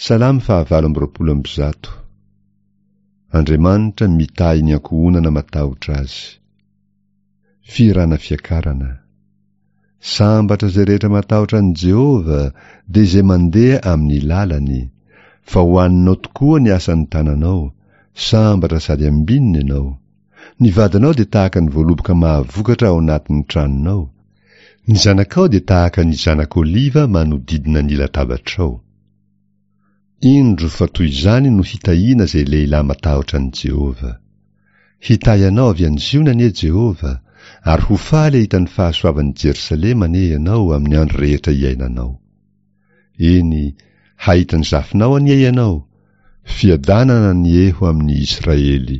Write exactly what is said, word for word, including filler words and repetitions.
Salamo fahavalo amby roapolo amby zato. Andriamanitra mitahy ny ankohonana matahotra Azy. Fihirana fiakarana. Sambatra izay rehetra matahotra an'i Jehovah, dia izay mandeha amin'ny lalany. Fa ho aninao tokoa ny asan'ny tananao, sambatra sady ambinina ianao. Ny vadinao dia tahaka ny voaloboka mahavokatra ao anatin'ny tranonao. Ny zanakao dia tahaka ny zanak'oliva manodidina ny latabatrao. Indro fa toy izany no hitahiana izay lehilahy matahotra an'i Jehovah. Hitahy anao avy any Ziona anie Jehovah, ary ho faly hahita ny fahasoavan'i Jerosalema anie ianao amin'ny andro rehetra iainanao. Eny, hahita ny zafinao anie ianao, fiadanana anie ho amin'ny Israely.